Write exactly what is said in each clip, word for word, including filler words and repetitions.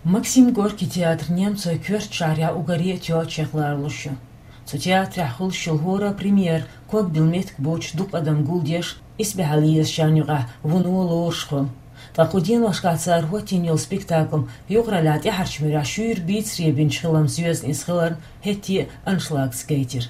Максим Горький театр немцойн коьрта шахьарахь уггаре а тоьчех лоруш ю. Цу театрехь хуьлуш йолу хӀора премьера ког билла меттиг боцуш дукха адам гулдеш, исбаьхьалла езачарна юкъахь вуно лоруш хуьлу. Ткъа кху деношкахь цара хӀоттийна йолу спектакль юкъараллехь тӀаьхьарчу муьрехь шуьйра бийцаре бинчу хиламца йоьзна иза хиларна, хӀетте а аншлагца гайтира.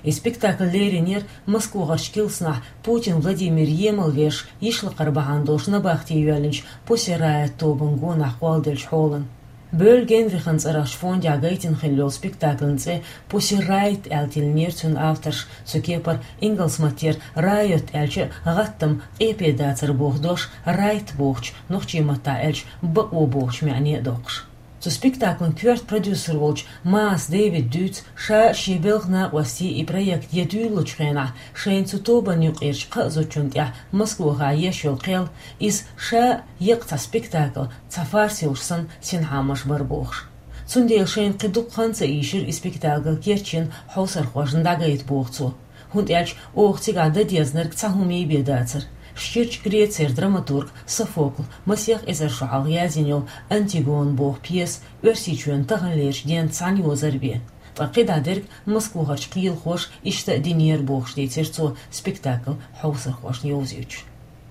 И спектакль леринера Москвахарчу килсанахь Путин Владимир емал веш йишлакхара бахьана долуш набахте йоьллинчу Пусси Райот тобанан гонах кхолладеллачу хьолана. Бёль Генрихан цӀарахчу фондехь гайтина хилла йолу спектакльан цӀе Пусси Райот аьлла тиллинера цуьнан авторша, цу кепара ингалс маттера райот аьлча а гӀаттам, къепе дацар боху дош, райт бохучу, нохчийн маттахь аьлча бакъо бохучу маьӀне а доккхуш. Цу спектакльан коьрта продюсер волчу Маас Дэвида дуьйцу, ша а шен белхан накъостий и проект ян дуьйлалучу хенахь, шайна цу тобанна юкъерчу кхаа зудчунна тӀехь Москвахь еш йолу кхел, иза ша а еккъа цхьа спектакль, цхьа фарс йолуш санна, синхьамаш бара бохуш. Цундела шайна кхин дукха хан ца ийшира и спектакль керчина хьовсархошна дӀагайта боху цо. ХӀунда аьлча оха цигахь дан дезарг цхьа хӀума бен дацара. Ширачу Грецера драматург Софокла масех эзар шо хьалха язйина йолу «Антигона» боху пьеса Оьрсийчоьнан таханлерчу денца цхьаьна йозар бен. Ткъа кхидӀа дерг Москвахарчу кхелахоша иштта а динера бохуш дийцира цо спектакль хьовсархошна йовзуьйтуш.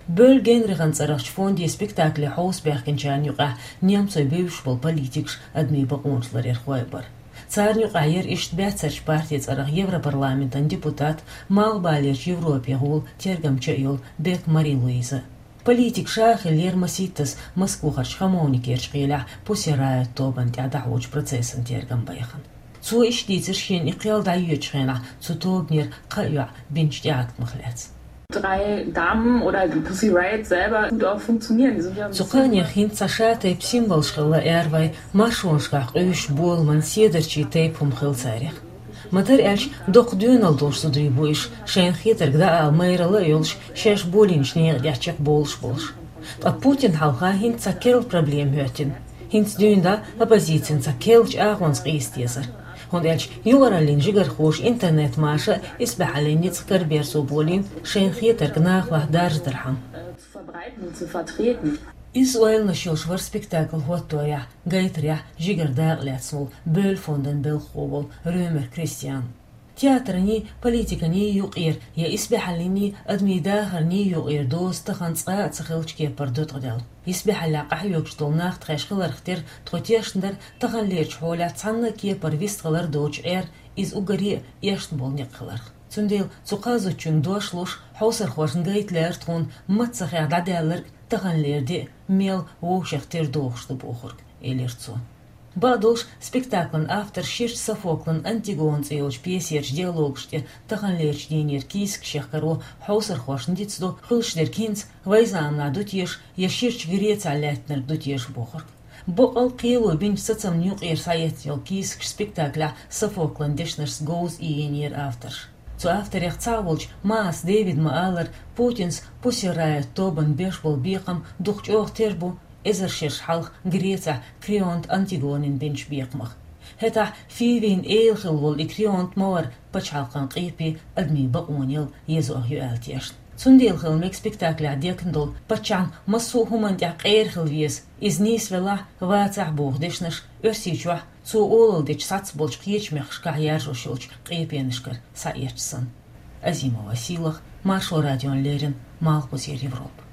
Бёль Генрихан цӀарахчу фонде спектакле хьовса баьхкинчарна юкъахь немцойн бевзаш болу политикаш, адамийн бакъонаш ларъярхой а бара. Царна юкъахь яра иштта баьццарчу партин цӀарах Европарламентан депутат, Малхбалерчу Европе гӀула тергамча а йолу Бек Мари-Луиза. Политик ша а хиллера масийттаза Москвахарчу Хамовникерчу кхелехь Пусси Райот тобанна тӀехь дӀахьочу процессан тергам байхана. Цо иштта дийцира шена и кхел дӀайоьдучу хенахь цу тобанера кхаа йоӀ бинчу тӀеӀаткамах лаьцна. Drei Damen oder die Pussy Riot selber gut auch funktionieren. Die sind ja ein bisschen Цу кхаанех хӀинца цхьа шатайпа символаш хилла аьрру вай маршонашкахь къуьйсучу боламан седарчийн тайпа хӀума хилла царех. Ма-дарра аьлча, доккха доьналла долуш зударий бу уьш, шайна хетарг дӀаала майралла а йолуш, шаьш болийначу некъа тӀехь чекхбовлуш болуш. Ткъа Путинна хьалха хӀинца цхьа керла проблема хӀоьттина. ХӀинца дуьйна дӀа оппозицина цхьа керлачу агӀонца къийса дезара. ХӀунда аьлча юкъараллин жигархоша интернет-маша исбаьхьаллин ницкъ караберзо болийна, шайна хетарг нахалахь даржадархьама. Zu verbreiten und zu vertreten. Изза ойланаш йолуш вара спектакль хӀоттадорехь, гайтарехь жигара дакъа лаьцна волу Бёль фондан белхахо волу Рёмер Кристиан. Театрний, политиканий юкъера я исбаьхьаллиний, адамийн дахарний юкъера доза тахана цкъа а ца хиллачу кепара ду ткъаделла. Исбаьхьаллехь къахьоьгуш долу нах тхаьш хиларх тера тхо тешна дара таханлерчу хьолехь цхьанна а кепара вистхилар доцуш Ӏер, иза уггаре а эшна болу некъ хиларх. Цундела цу кхаа зудчуьнга дош луш, хьовсархошна гайта лаьара тхуна маццахех дӀадаьлларг таханлера де а мел вовшех тера дохуш ду бохург, элира цо. Бакъдолуш, спектаклан автор ширачу Софоклан «Антигона» цӀе йолчу пьесерчу диалогаш тӀе таханлерчу дийнера кийсакаш яхкаро хьовсархошна дицдо, хуьлуш дерг хӀинца вайн заманахь ду теша я ширачу Грецехь лаьттинарг ду теша бохург. Бакъал кхело бинчу сацамна юкъера схьаэцна йолу кийсакаш спектаклехь Софоклан дешнашца говза иййинера авторша. Цу авторех цхьаъ волчу Маас Дэвида ма-аллара, Путинс Пусси Райот тобанна беш болу бекхам дукха чӀогӀа тера бу эзар шераш хьалха Грецехь Крионт Антигонина бинчу бекхамах. ХӀетахь Фивин эла хилла волу и Крионт ма вара пачхьалкхан къепе, адамийн бакъонел езох ю аьлла тешна. Цундела хила мега спектаклехь декна долу, паччахьна массо а хӀуманна тӀехь къера хила веза, иза нийса велахь, вацахь боху дешнаш Оьрсийчохь, цо олалла дечу сац болчу кхечу мехкашкахь яржош йолчу къепенашкара схьаэцча санна. Азимова Сийлаха, Маршо радиона леррина, Малхбузера Европа.